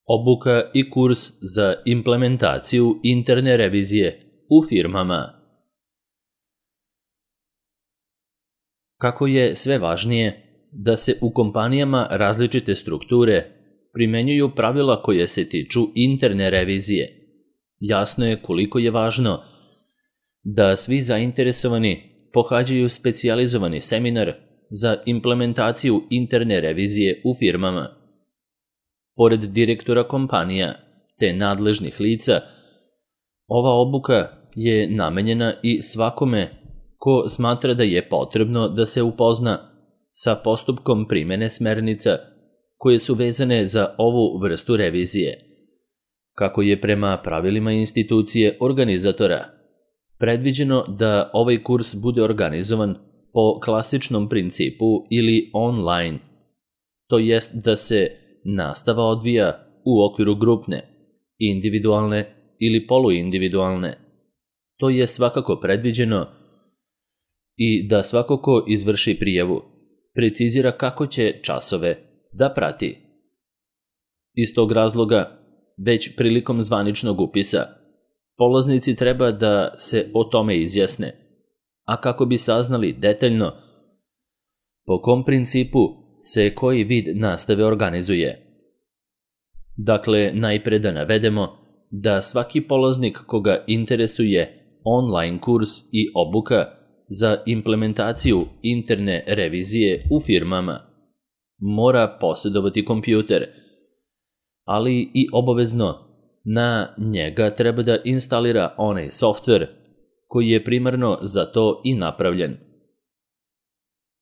Obuka i kurs za implementaciju interne revizije u firmama. Kako je sve važnije da se u kompanijama različite strukture primenjuju pravila koje se tiču interne revizije, jasno je koliko je važno da svi zainteresovani pohađaju specijalizovani seminar za implementaciju interne revizije u firmama. Pored direktora kompanija te nadležnih lica, ova obuka je namenjena i svakome ko smatra da je potrebno da se upozna sa postupkom primene smernica koje su vezane za ovu vrstu revizije. Kako je prema pravilima institucije organizatora predviđeno da ovaj kurs bude organizovan po klasičnom principu ili online, to jest da se nastava odvija u okviru grupne, individualne ili poluindividualne. To je svakako predviđeno i da svako ko izvrši prijavu precizira kako će časove da prati. Iz tog razloga, već prilikom zvaničnog upisa, polaznici treba da se o tome izjasne, a kako bi saznali detaljno po kom principu se koji vid nastave organizuje. Dakle, najpre da navedemo da svaki polaznik koga interesuje online kurs i obuka za implementaciju interne revizije u firmama mora posjedovati kompjuter, ali i obavezno na njega treba da instalira onaj softver koji je primarno za to i napravljen.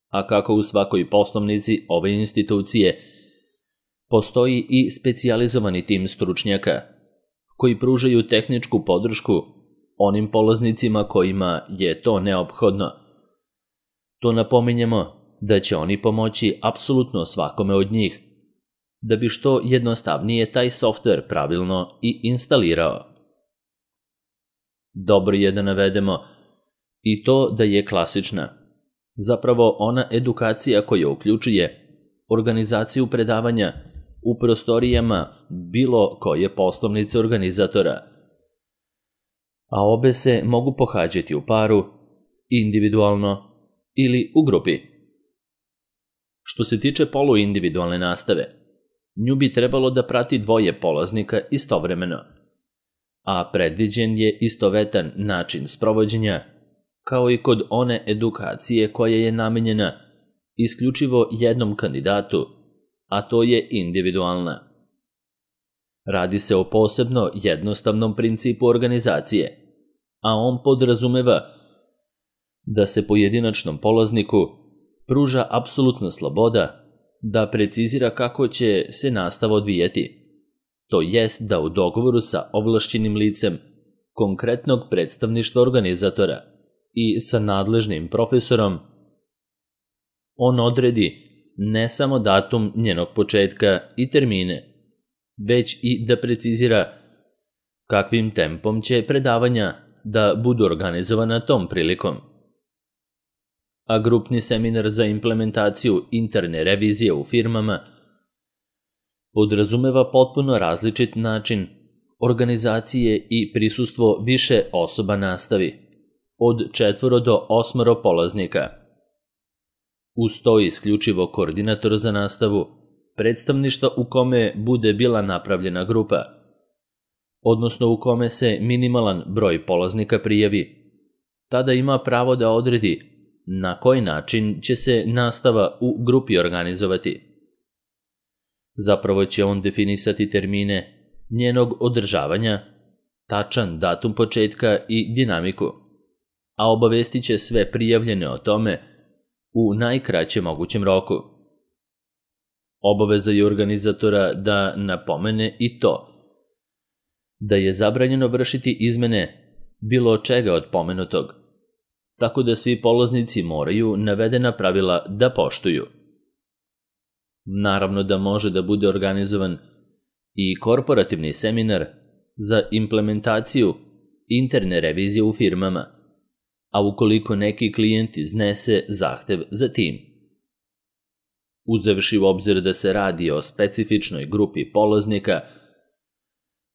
A kako u svakoj poslovnici ove institucije postoji i specijalizovani tim stručnjaka koji pružaju tehničku podršku onim polaznicima kojima je to neophodno. To napominjemo da će oni pomoći apsolutno svakome od njih, da bi što jednostavnije taj softver pravilno i instalirao. Dobro je da navedemo i to da je klasična, zapravo ona edukacija koja uključuje organizaciju predavanja u prostorijama bilo koje poslovnice organizatora, a obe se mogu pohađati u paru, individualno ili u grupi. Što se tiče poluindividualne nastave, nju bi trebalo da prati dvoje polaznika istovremeno, a predviđen je istovetan način sprovođenja, kao i kod one edukacije koja je namenjena isključivo jednom kandidatu, a to je individualna. Radi se o posebno jednostavnom principu organizacije, a on podrazumeva da se pojedinačnom polazniku pruža apsolutna sloboda da precizira kako će se nastava odvijati, to jest da u dogovoru sa ovlašćenim licem konkretnog predstavništva organizatora i sa nadležnim profesorom on odredi ne samo datum njenog početka i termine, već i da precizira kakvim tempom će predavanja da budu organizovana tom prilikom. A grupni seminar za implementaciju interne revizije u firmama podrazumeva potpuno različit način organizacije i prisustvo više osoba nastavi, od 4 do 8 polaznika. Uz to isključivo koordinator za nastavu, predstavništva u kome bude bila napravljena grupa, odnosno u kome se minimalan broj polaznika prijavi, tada ima pravo da odredi na koji način će se nastava u grupi organizovati. Zapravo će on definisati termine njenog održavanja, tačan datum početka i dinamiku, a obavestit će sve prijavljene o tome u najkraćem mogućem roku. Obaveza je organizatora da napomene i to da je zabranjeno vršiti izmene bilo čega od pomenutog, tako da svi polaznici moraju navedena pravila da poštuju. Naravno da može da bude organizovan i korporativni seminar za implementaciju interne revizije u firmama, a ukoliko neki klijent iznese zahtev za tim. Uzevši u obzir da se radi o specifičnoj grupi polaznika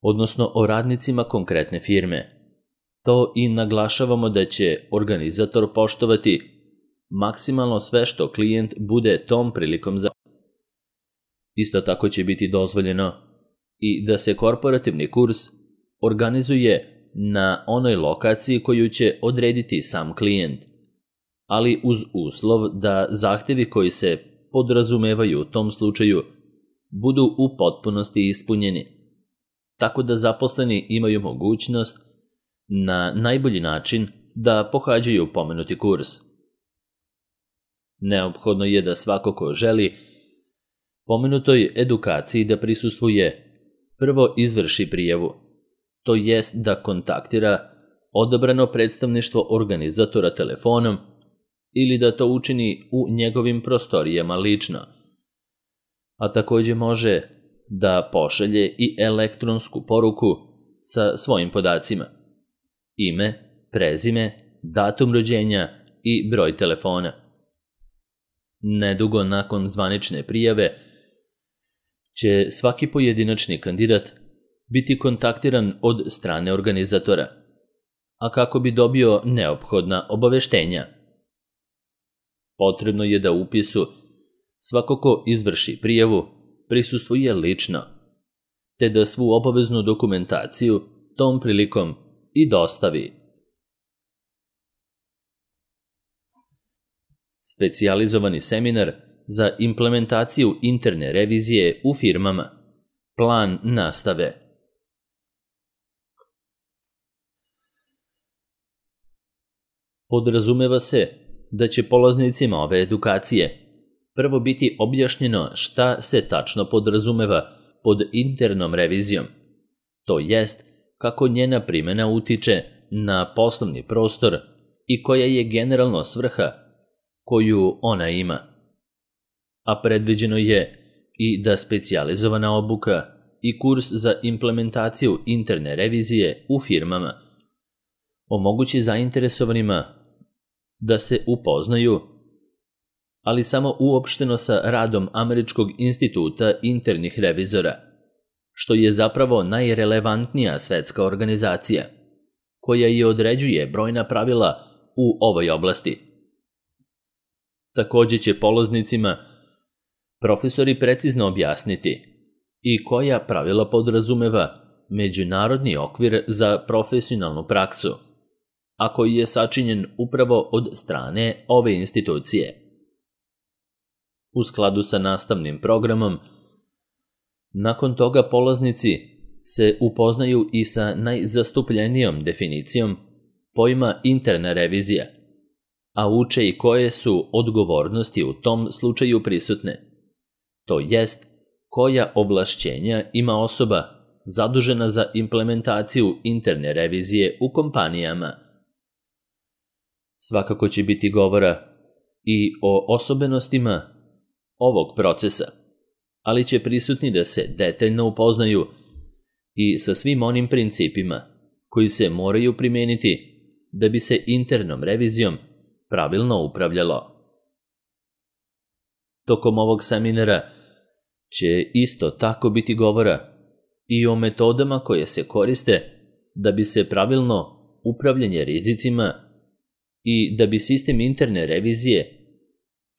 odnosno o radnicima konkretne firme. To i naglašavamo da će organizator poštovati maksimalno sve što klijent bude tom prilikom Isto tako će biti dozvoljeno i da se korporativni kurs organizuje na onoj lokaciji koju će odrediti sam klijent, ali uz uslov da zahtjevi koji se podrazumevaju u tom slučaju budu u potpunosti ispunjeni, tako da zaposleni imaju mogućnost na najbolji način da pohađaju pomenuti kurs. Neophodno je da svako ko želi pomenutoj edukaciji da prisustvuje, prvo izvrši prijavu, to jest da kontaktira odabrano predstavništvo organizatora telefonom ili da to učini u njegovim prostorijama lično, a također može da pošalje i elektronsku poruku sa svojim podacima: ime, prezime, datum rođenja i broj telefona. Nedugo nakon zvanične prijave će svaki pojedinačni kandidat biti kontaktiran od strane organizatora, a kako bi dobio neophodna obaveštenja. Potrebno je da upisu svako ko izvrši prijavu prisustvuje lično, te da svu obaveznu dokumentaciju tom prilikom i dostavi. Specijalizovani seminar za implementaciju interne revizije u firmama. Plan nastave. Podrazumeva se da će polaznicima ove edukacije prvo biti objašnjeno šta se tačno podrazumeva pod internom revizijom, to jest kako njena primjena utiče na poslovni prostor i koja je generalno svrha koju ona ima. A predviđeno je i da specijalizovana obuka i kurs za implementaciju interne revizije u firmama omogući zainteresovanima da se upoznaju, ali samo uopšteno sa radom Američkog instituta internih revizora, što je zapravo najrelevantnija svetska organizacija, koja i određuje brojna pravila u ovoj oblasti. Također će polaznicima profesori precizno objasniti i koja pravila podrazumeva međunarodni okvir za profesionalnu praksu, a koji je sačinjen upravo od strane ove institucije. U skladu sa nastavnim programom, nakon toga polaznici se upoznaju i sa najzastupljenijom definicijom pojma interna revizija, a uče i koje su odgovornosti u tom slučaju prisutne, to jest koja ovlašćenja ima osoba zadužena za implementaciju interne revizije u kompanijama. Svakako će biti govora i o osobenostima ovog procesa, ali će prisutni da se detaljno upoznaju i sa svim onim principima koji se moraju primijeniti da bi se internom revizijom pravilno upravljalo. Tokom ovog seminara će isto tako biti govora i o metodama koje se koriste da bi se pravilno upravljanje rizicima i da bi sistem interne revizije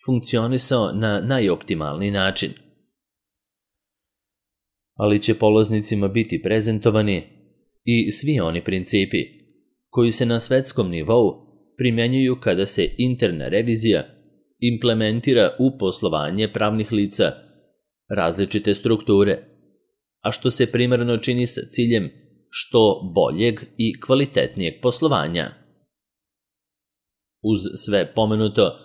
funkcionisao na najoptimalniji način. Ali će polaznicima biti prezentovani i svi oni principi koji se na svetskom nivou primjenjuju kada se interna revizija implementira u poslovanje pravnih lica različite strukture, a što se primarno čini sa ciljem što boljeg i kvalitetnijeg poslovanja. Uz sve pomenuto,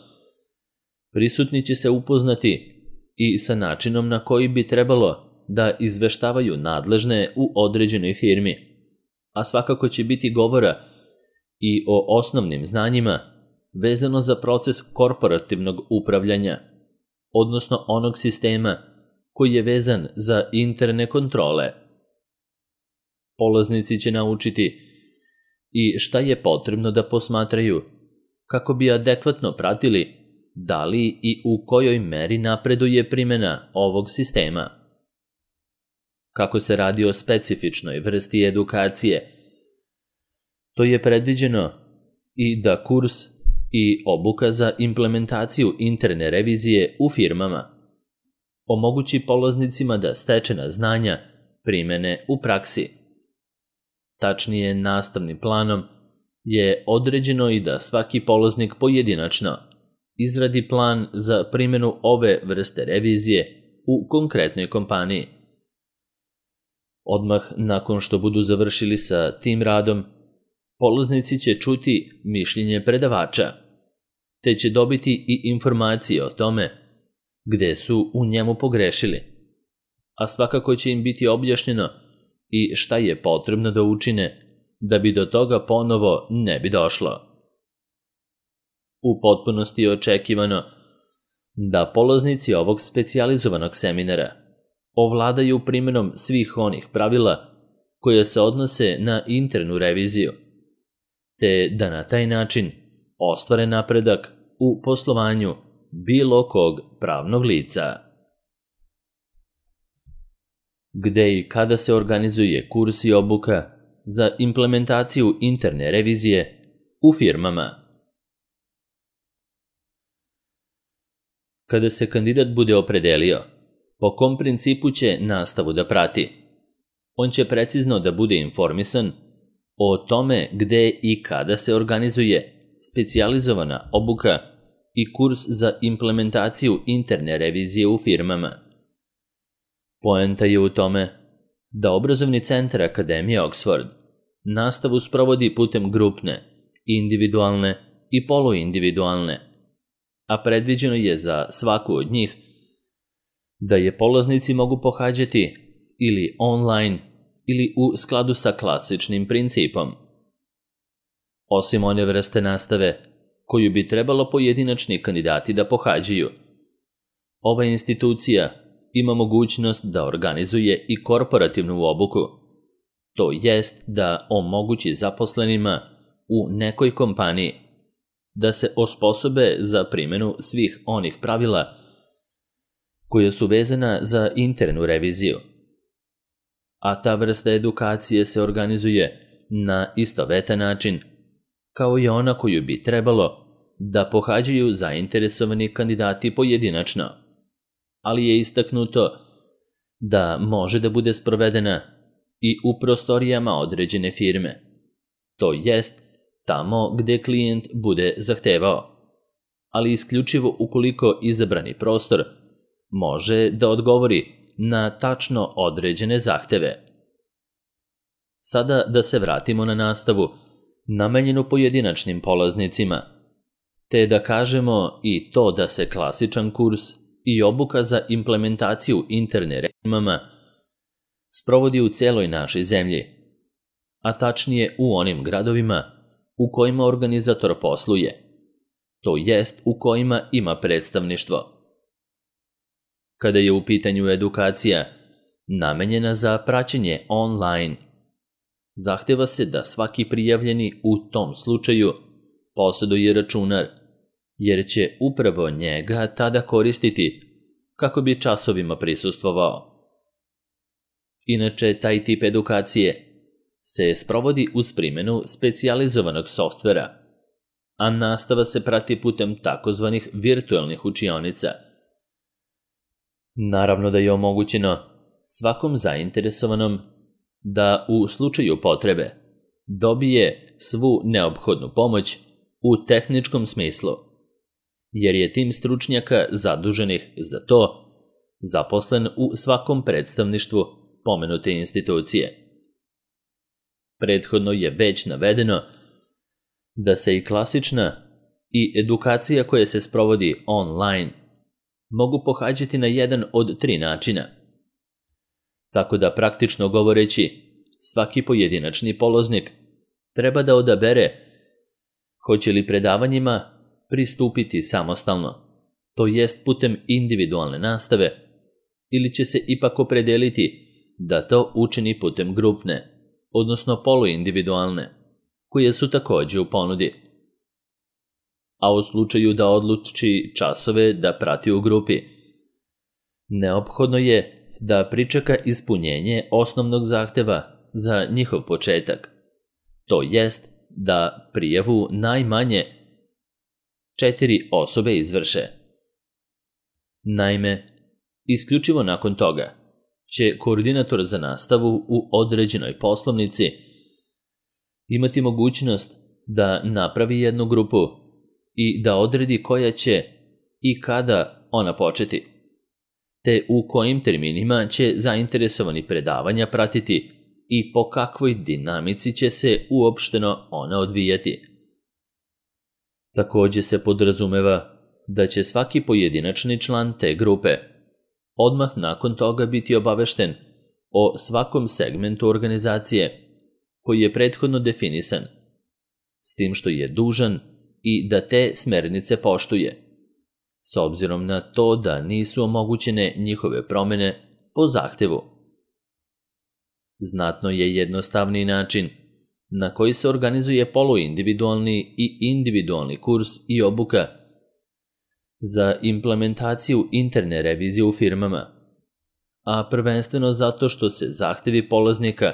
prisutni će se upoznati i sa načinom na koji bi trebalo da izveštavaju nadležne u određenoj firmi, a svakako će biti govora i o osnovnim znanjima vezano za proces korporativnog upravljanja, odnosno onog sistema koji je vezan za interne kontrole. Polaznici će naučiti i šta je potrebno da posmatraju kako bi adekvatno pratili da li i u kojoj meri napreduje primjena ovog sistema. kako se radi o specifičnoj vrsti edukacije. To je predviđeno i da kurs i obuka za implementaciju interne revizije u firmama omogući polaznicima da stečena znanja primene u praksi. Tačnije, nastavnim planom je određeno i da svaki polaznik pojedinačno izradi plan za primjenu ove vrste revizije u konkretnoj kompaniji. Odmah nakon što budu završili sa tim radom, polaznici će čuti mišljenje predavača, te će dobiti i informacije o tome gde su u njemu pogrešili, a svakako će im biti objašnjeno i šta je potrebno da učine da bi do toga ponovo ne bi došlo. U potpunosti je očekivano da polaznici ovog specijalizovanog seminara ovladaju primjenom svih onih pravila koje se odnose na internu reviziju, te da na taj način ostvare napredak u poslovanju bilo kog pravnog lica. Gde i kada se organizuje kurs i obuka za implementaciju interne revizije u firmama? Kada se kandidat bude opredelio po kom principu će nastavu da prati, on će precizno da bude informisan o tome gde i kada se organizuje specijalizovana obuka i kurs za implementaciju interne revizije u firmama. Poenta je u tome da obrazovni centar Akademije Oxford nastavu sprovodi putem grupne, individualne i poluindividualne, a predviđeno je za svaku od njih da je polaznici mogu pohađati ili online ili u skladu sa klasičnim principom. Osim one vrste nastave koju bi trebalo pojedinačni kandidati da pohađaju, ova institucija ima mogućnost da organizuje i korporativnu obuku, to jest da omogući zaposlenima u nekoj kompaniji da se osposobe za primjenu svih onih pravila koja su vezana za internu reviziju. A ta vrsta edukacije se organizuje na istovetan način kao i ona koju bi trebalo da pohađaju zainteresovani kandidati pojedinačno, ali je istaknuto da može da bude sprovedena i u prostorijama određene firme, to jest tamo gde klijent bude zahtevao, ali isključivo ukoliko izabrani prostor može da odgovori na tačno određene zahteve. Sada da se vratimo na nastavu namenjenu pojedinačnim polaznicima, te da kažemo i to da se klasičan kurs i obuka za implementaciju interne revizije sprovodi u celoj našoj zemlji, a tačnije u onim gradovima u kojima organizator posluje, to jest u kojima ima predstavništvo. Kada je u pitanju edukacija namenjena za praćenje online, zahteva se da svaki prijavljeni u tom slučaju posjeduje računar, jer će upravo njega tada koristiti kako bi časovima prisustvovao. Inače, taj tip edukacije se sprovodi uz primjenu specijalizovanog softvera, a nastava se prati putem takozvanih virtualnih učionica. Naravno da je omogućeno svakom zainteresovanom da u slučaju potrebe dobije svu neophodnu pomoć u tehničkom smislu, jer je tim stručnjaka zaduženih za to zaposlen u svakom predstavništvu pomenute institucije. Prethodno je već navedeno da se i klasična i edukacija koja se sprovodi online mogu pohađati na jedan od 3 načina. Tako da, praktično govoreći, svaki pojedinačni polaznik treba da odabere hoće li predavanjima pristupiti samostalno, to jest putem individualne nastave, ili će se ipak opredeliti da to učini putem grupne, odnosno poluindividualne, koje su također u ponudi. A u slučaju da odluči časove da prati u grupi, neophodno je da pričeka ispunjenje osnovnog zahteva za njihov početak, to jest da prijavu najmanje 4 osobe izvrše. Naime, isključivo nakon toga će koordinator za nastavu u određenoj poslovnici imati mogućnost da napravi jednu grupu i da odredi koja će i kada ona početi, te u kojim terminima će zainteresovani predavanja pratiti i po kakvoj dinamici će se uopšteno ona odvijati. Također se podrazumeva da će svaki pojedinačni član te grupe odmah nakon toga biti obavešten o svakom segmentu organizacije koji je prethodno definisan, s tim što je dužan i da te smernice poštuje, s obzirom na to da nisu omogućene njihove promjene po zahtevu. Znatno je jednostavniji način na koji se organizuje poluindividualni i individualni kurs i obuka za implementaciju interne revizije u firmama, a prvenstveno zato što se zahtevi polaznika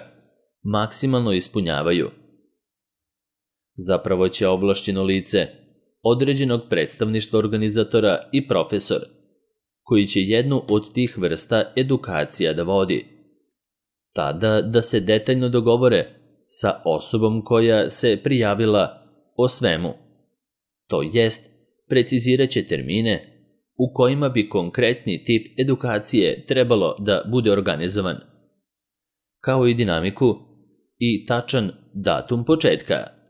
maksimalno ispunjavaju. Zapravo će ovlašćeno lice određenog predstavništva organizatora i profesor, koji će jednu od tih vrsta edukacija da vodi, tada da se detaljno dogovore sa osobom koja se prijavila o svemu, to jest precizirat će termine u kojima bi konkretni tip edukacije trebalo da bude organizovan, kao i dinamiku i tačan datum početka.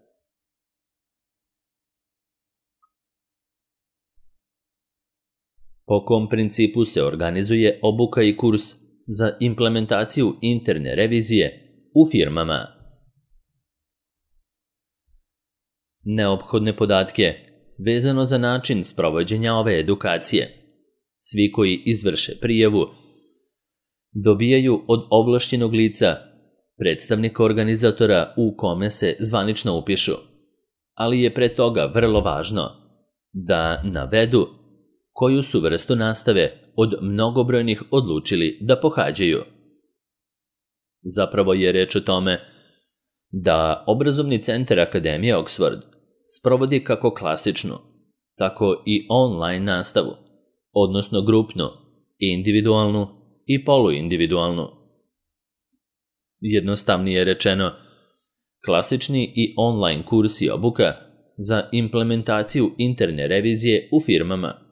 Po kom principu se organizuje obuka i kurs za implementaciju interne revizije u firmama? Neophodne podatke vezano za način sprovođenja ove edukacije svi koji izvrše prijavu dobijaju od ovlašćenog lica predstavnika organizatora u kome se zvanično upišu, ali je pre toga vrlo važno da navedu koju su vrstu nastave od mnogobrojnih odlučili da pohađaju. Zapravo je reč o tome da obrazovni centar Akademije Oxford sprovodi kako klasičnu, tako i online nastavu, odnosno grupnu, individualnu i poluindividualnu. Jednostavnije rečeno, klasični i online kurs i obuka za implementaciju interne revizije u firmama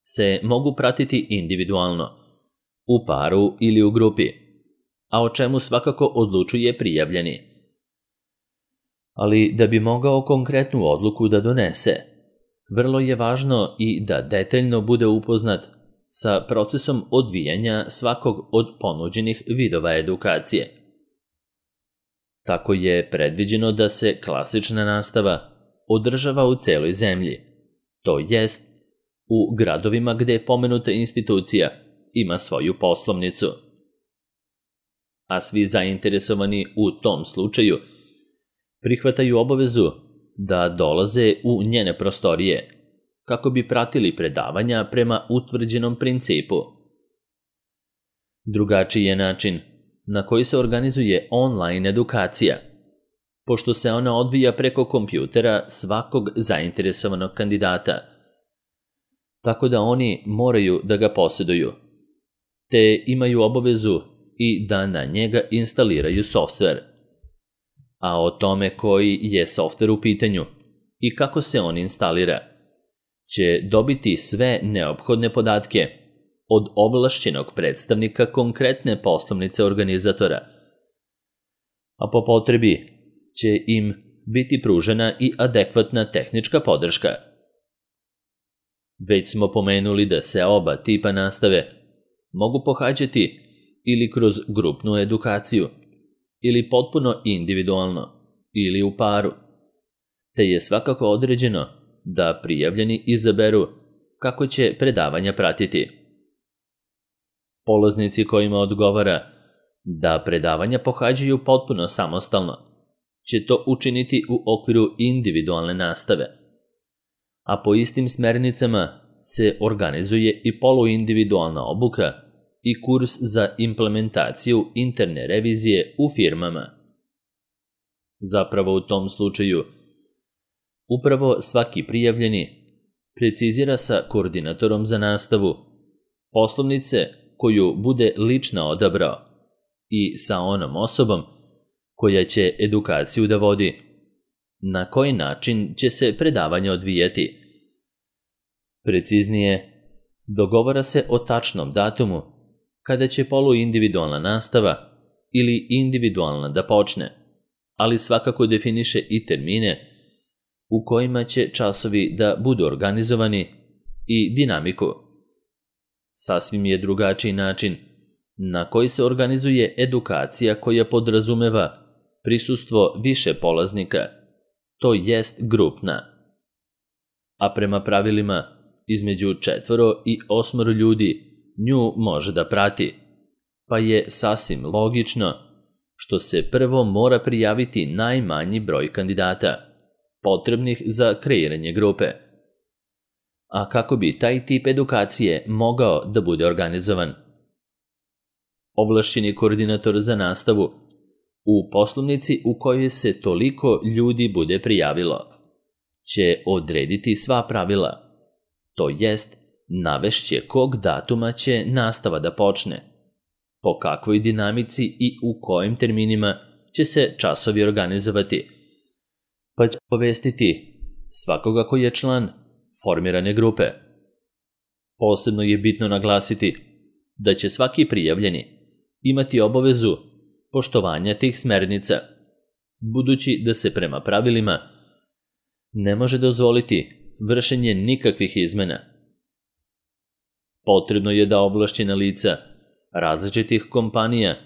se mogu pratiti individualno, u paru ili u grupi, a o čemu svakako odlučuje prijavljeni. Ali da bi mogao konkretnu odluku da donese, vrlo je važno i da detaljno bude upoznat sa procesom odvijanja svakog od ponuđenih vidova edukacije. Tako je predviđeno da se klasična nastava održava u celoj zemlji, to jest u gradovima gde pomenuta institucija ima svoju poslovnicu. A svi zainteresovani u tom slučaju prihvataju obavezu da dolaze u njene prostorije kako bi pratili predavanja prema utvrđenom principu. Drugačiji je način na koji se organizuje online edukacija, pošto se ona odvija preko kompjutera svakog zainteresovanog kandidata, tako da oni moraju da ga posjeduju, te imaju obavezu i da na njega instaliraju softver. A o tome koji je softver u pitanju i kako se on instalira, će dobiti sve neophodne podatke od ovlašćenog predstavnika konkretne poslovnice organizatora, a po potrebi će im biti pružena i adekvatna tehnička podrška. Već smo pomenuli da se oba tipa nastave mogu pohađati ili kroz grupnu edukaciju, ili potpuno individualno, ili u paru, te je svakako određeno da prijavljeni izaberu kako će predavanja pratiti. Polaznici kojima odgovara da predavanja pohađaju potpuno samostalno će to učiniti u okviru individualne nastave, a po istim smernicama se organizuje i poluindividualna obuka i kurs za implementaciju interne revizije u firmama. Zapravo u tom slučaju, upravo svaki prijavljeni precizira sa koordinatorom za nastavu poslovnice koju bude lično odabrao i sa onom osobom koja će edukaciju da vodi, na koji način će se predavanje odvijeti. Preciznije, dogovara se o tačnom datumu kada će poluindividualna nastava ili individualna da počne, ali svakako definiše i termine u kojima će časovi da budu organizovani i dinamiku. Sasvim je drugačiji način na koji se organizuje edukacija koja podrazumeva prisustvo više polaznika, to jest grupna. A prema pravilima, između 4 i 8 ljudi nju može da prati, pa je sasvim logično što se prvo mora prijaviti najmanji broj kandidata, potrebnih za kreiranje grupe. A kako bi taj tip edukacije mogao da bude organizovan? Ovlašćeni koordinator za nastavu u poslovnici u kojoj se toliko ljudi bude prijavilo će odrediti sva pravila, to jest navešće kog datuma će nastava da počne, po kakvoj dinamici i u kojim terminima će se časovi organizovati, pa će povestiti svakoga koji je član formirane grupe. Posebno je bitno naglasiti da će svaki prijavljeni imati obavezu poštovanja tih smernica, budući da se prema pravilima ne može dozvoliti vršenje nikakvih izmena. Potrebno je da ovlašćena lica različitih kompanija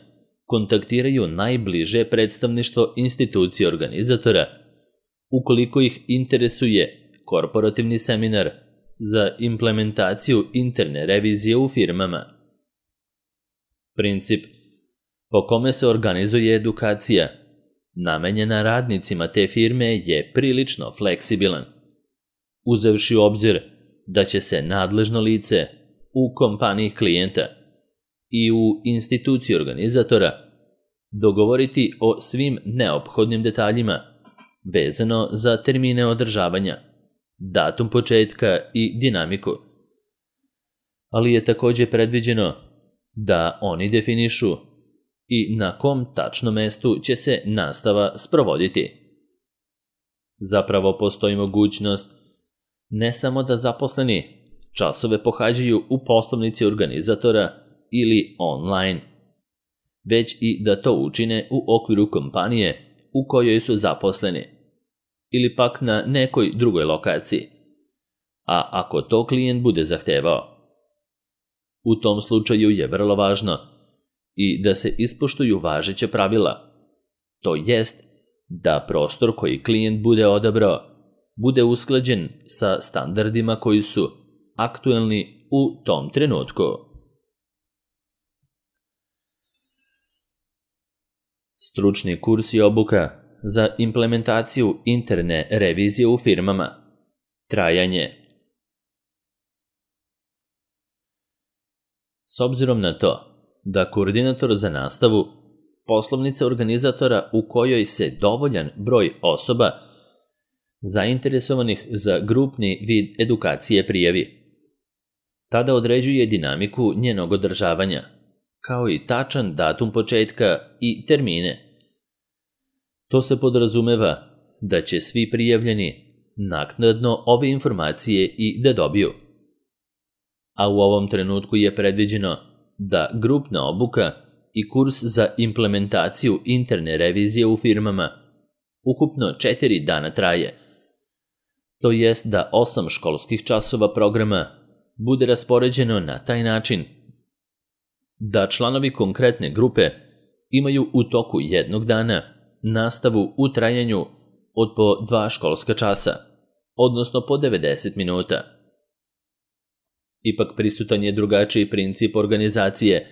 kontaktiraju najbliže predstavništvo institucije organizatora ukoliko ih interesuje korporativni seminar za implementaciju interne revizije u firmama. Princip po kome se organizuje edukacija namenjena radnicima te firme je prilično fleksibilan, uzevši u obzir da će se nadležno lice u kompaniji klijenta i u instituciji organizatora dogovoriti o svim neophodnim detaljima vezano za termine održavanja, datum početka i dinamiku. Ali je također predviđeno da oni definišu i na kom tačno mestu će se nastava sprovoditi. Zapravo postoji mogućnost ne samo da zaposleni časove pohađaju u poslovnici organizatora ili online, već i da to učine u okviru kompanije u kojoj su zaposleni ili pak na nekoj drugoj lokaciji, a ako to klijent bude zahtevao. U tom slučaju je vrlo važno i da se ispoštuju važeća pravila, to jest da prostor koji klijent bude odabrao bude usklađen sa standardima koji su aktuelni u tom trenutku. Stručni kurs i obuka za implementaciju interne revizije u firmama. Trajanje. S obzirom na to da koordinator za nastavu poslovnica organizatora u kojoj se dovoljan broj osoba zainteresovanih za grupni vid edukacije prijavi, tada određuje dinamiku njenog održavanja, kao i tačan datum početka i termine. To se podrazumeva da će svi prijavljeni naknadno ove informacije i da dobiju. A u ovom trenutku je predviđeno da grupna obuka i kurs za implementaciju interne revizije u firmama ukupno 4 dana traje. To jest da 8 školskih časova programa bude raspoređeno na taj način da članovi konkretne grupe imaju u toku jednog dana nastavu u trajanju od po 2 školska časa, odnosno po 90 minuta. Ipak prisutan je drugačiji princip organizacije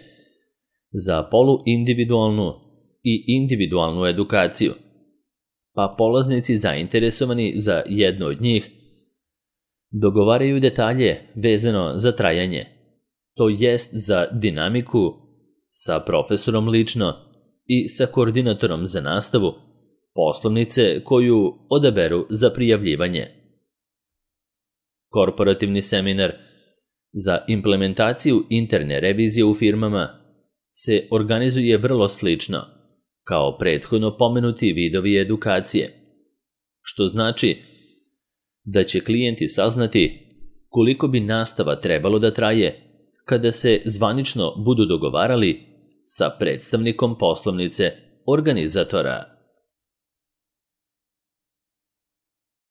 za poluindividualnu i individualnu edukaciju, pa polaznici zainteresovani za jedno od njih dogovaraju detalje vezano za trajanje, to jest za dinamiku, sa profesorom lično i sa koordinatorom za nastavu, poslovnice koju odaberu za prijavljivanje. Korporativni seminar za implementaciju interne revizije u firmama se organizuje vrlo slično, kao prethodno pomenuti vidovi edukacije, što znači da će klijenti saznati koliko bi nastava trebalo da traje kada se zvanično budu dogovarali sa predstavnikom poslovnice organizatora.